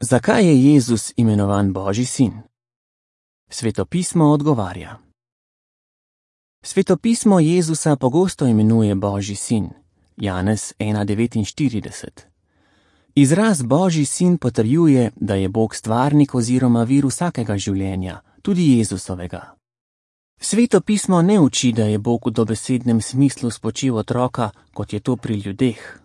Zakaj je Jezus imenovan Božji sin? Svetopismo odgovarja. Svetopismo Jezusa pogosto imenuje Božji sin, Janez 1,49. Izraz Božji sin potrjuje, da je Bog stvarnik oziroma vir vsakega življenja, tudi Jezusovega. Svetopismo ne uči, da je Bog v dobesednem smislu spočil otroka, kot je to pri ljudeh.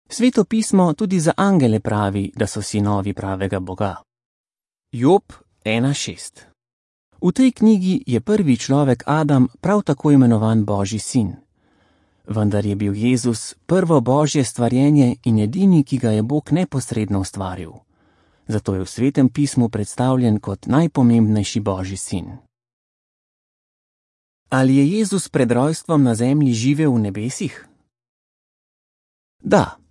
Svetopismo tudi za angele pravi, da so sinovi pravega Boga. Job 1,6. V tej knjigi je prvi človek Adam prav tako imenovan Božji sin. Vendar je bil Jezus prvo Božje stvarjenje in edini, ki ga je Bog neposredno ustvaril. Zato je v Svetem pismu predstavljen kot najpomembnejši Božji sin. Ali je Jezus pred rojstvom na zemlji živel v nebesih? Da.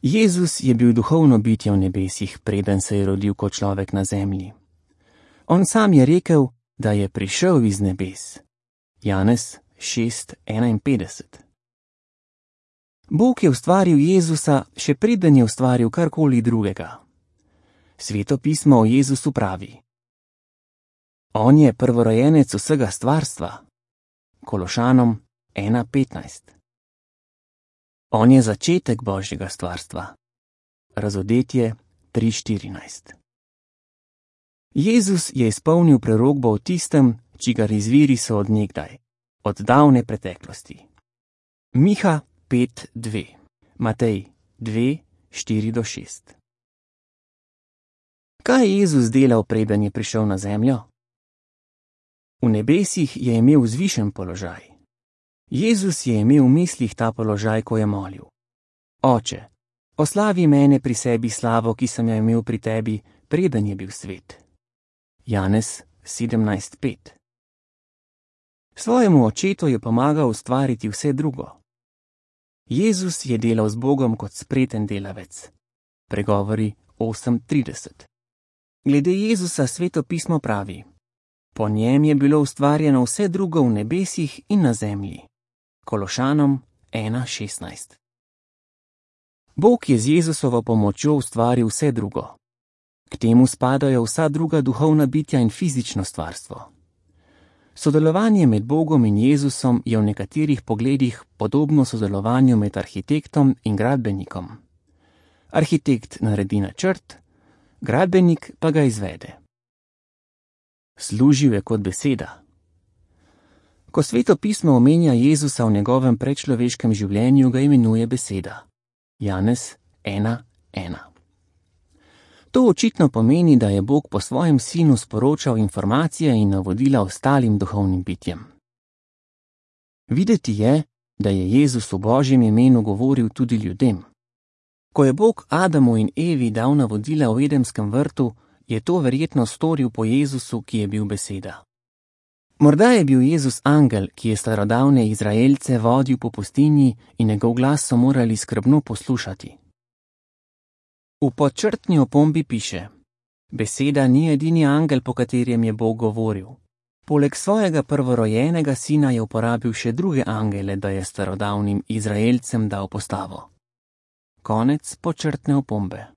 Jezus je bil duhovno bitje v nebesih, preden se je rodil kot človek na zemlji. On sam je rekel, da je prišel iz nebes. Janez 6,51. Bog je ustvaril Jezusa, še preden je ustvaril karkoli drugega. Sveto pismo o Jezusu pravi: On je prvorojenec vsega stvarstva. Kološanom 1,15. On je začetek Božjega stvarstva. Razodetje 3,14. Jezus je izpolnil prerokbo o tistem, čigar izviri so od nekdaj, od davne preteklosti. Miha 5,2. Matej 2,4-6. Kaj je Jezus delal, preden je prišel na zemljo? V nebesih je imel vzvišen položaj. Jezus je imel v mislih ta položaj, ko je molil: Oče, oslavi mene pri sebi slavo, ki sem jo imel pri tebi, preden je bil svet. Janez 17,5. Svojemu očetu je pomagal ustvariti vse drugo. Jezus je delal z Bogom kot spreten delavec. Pregovori 8,30. Glede Jezusa Sveto pismo pravi: Po njem je bilo ustvarjeno vse drugo v nebesih in na zemlji. Kološanom 1,16. Bog je z Jezusovo pomočjo ustvaril vse drugo. K temu spadajo vsa druga duhovna bitja in fizično stvarstvo. Sodelovanje med Bogom in Jezusom je v nekaterih pogledih podobno sodelovanju med arhitektom in gradbenikom. Arhitekt naredi načrt, gradbenik pa ga izvede. Služil je kot beseda. Ko Sveto pismo omenja Jezusa v njegovem predčloveškem življenju, ga imenuje beseda. Janez 1,1. To očitno pomeni, da je Bog po svojem sinu sporočal informacije in navodila ostalim duhovnim bitjem. Videti je, da je Jezus v Božjem imenu govoril tudi ljudem. Ko je Bog Adamu in Evi dal navodila v Edenskem vrtu, je to verjetno storil po Jezusu, ki je bil beseda. Morda je bil Jezus angel, ki je starodavne Izraelce vodil po pustinji in njegov glas so morali skrbno poslušati. V podčrtni opombi piše: Beseda ni edini angel, po katerem je Bog govoril. Poleg svojega prvorojenega sina je uporabil še druge angele, da je starodavnim Izraelcem dal postavo. Konec podčrtne opombe.